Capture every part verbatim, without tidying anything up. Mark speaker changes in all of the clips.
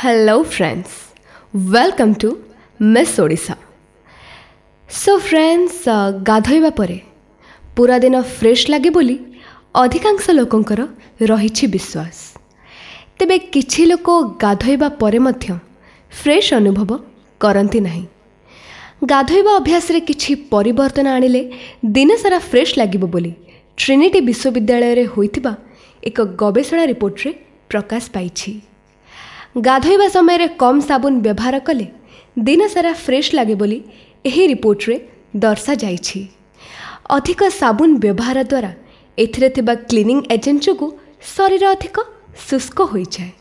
Speaker 1: Hello friends, welcome to Miss Odisha. So friends, ଗାଧୋଇବା ପରେ ପୁରା ଦିନ ଫ୍ରେଶ୍ ଲାଗେ ବୋଲି ଅଧିକାଂଶ ଲୋକଙ୍କର ରହିଛି ବିଶ୍ୱାସ। ତେବେ କିଛି ଲୋକ ଗାଧୋଇବା ପରେ ମଧ୍ୟ ଫ୍ରେଶ୍ ଅନୁଭବ କରନ୍ତି ନାହିଁ। ଗାଧୋଇବା ଅଭ୍ୟାସରେ କିଛି ପରିବର୍ତ୍ତନ ଆଣିଲେ ଦିନସାରା ଫ୍ରେଶ୍ ଲାଗିବ ବୋଲି ଟ୍ରିନିଟି ବିଶ୍ୱବିଦ୍ୟାଳୟରେ ହୋଇଥିବା ଏକ ଗବେଷଣା ରିପୋର୍ଟରେ ପ୍ରକାଶ ପାଇଛି। ଗାଧୋଇବା ସମୟରେ କମ୍ ସାବୁନ ବ୍ୟବହାର କଲେ ଦିନସାରା ଫ୍ରେଶ୍ ଲାଗେ ବୋଲି ଏହି ରିପୋର୍ଟରେ ଦର୍ଶାଯାଇଛି। ଅଧିକ ସାବୁନ ବ୍ୟବହାର ଦ୍ୱାରା ଏଥିରେ ଥିବା କ୍ଲିନିଂ ଏଜେଣ୍ଟ ଯୋଗୁଁ ଶରୀର ଅଧିକ ଶୁଷ୍କ ହୋଇଯାଏ।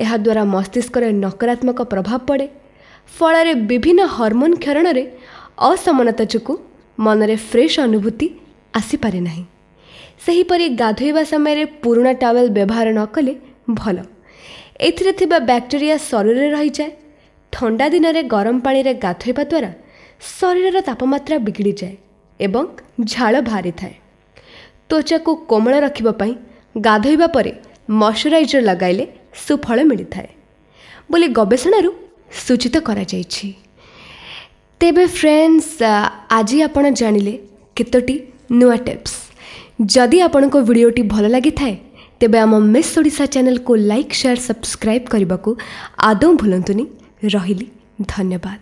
Speaker 1: ଏହାଦ୍ୱାରା ମସ୍ତିଷ୍କରେ ନକାରାତ୍ମକ ପ୍ରଭାବ ପଡ଼େ। ଫଳରେ ବିଭିନ୍ନ ହରମୋନ୍ କ୍ଷରଣରେ ଅସମାନତା ଯୋଗୁଁ ମନରେ ଫ୍ରେଶ୍ ଅନୁଭୂତି ଆସିପାରେ ନାହିଁ। ସେହିପରି ଗାଧୋଇବା ସମୟରେ ପୁରୁଣା ଟାୱେଲ୍ ବ୍ୟବହାର ନ କଲେ ଭଲ। ଏଥିରେ ଥିବା ବ୍ୟାକ୍ଟେରିଆ ଶରୀରରେ ରହିଯାଏ। ଥଣ୍ଡା ଦିନରେ ଗରମ ପାଣିରେ ଗାଧୋଇବା ଦ୍ୱାରା ଶରୀରର ତାପମାତ୍ରା ବିଗିଡ଼ିଯାଏ ଏବଂ ଝାଳ ବାହାରିଥାଏ। ତ୍ୱଚାକୁ କୋମଳ ରଖିବା ପାଇଁ ଗାଧୋଇବା ପରେ ମଶ୍ଚରାଇଜର୍ ଲଗାଇଲେ ସୁଫଳ ମିଳିଥାଏ ବୋଲି ଗବେଷଣାରୁ ସୂଚିତ କରାଯାଇଛି। ତେବେ ଫ୍ରେଣ୍ଡସ୍, ଆଜି ଆପଣ ଜାଣିଲେ କେତୋଟି ନୂଆ ଟିପ୍ସ। ଯଦି ଆପଣଙ୍କ ଭିଡ଼ିଓଟି ଭଲ ଲାଗିଥାଏ, ତେବେ ଆମ ମିସ୍ ଓଡ଼ିଶା ଚ୍ୟାନେଲକୁ ଲାଇକ୍, ସେୟାର, ସବସ୍କ୍ରାଇବ୍ କରିବାକୁ ଆଦୌ ଭୁଲନ୍ତୁନି। ରହିଲି, ଧନ୍ୟବାଦ।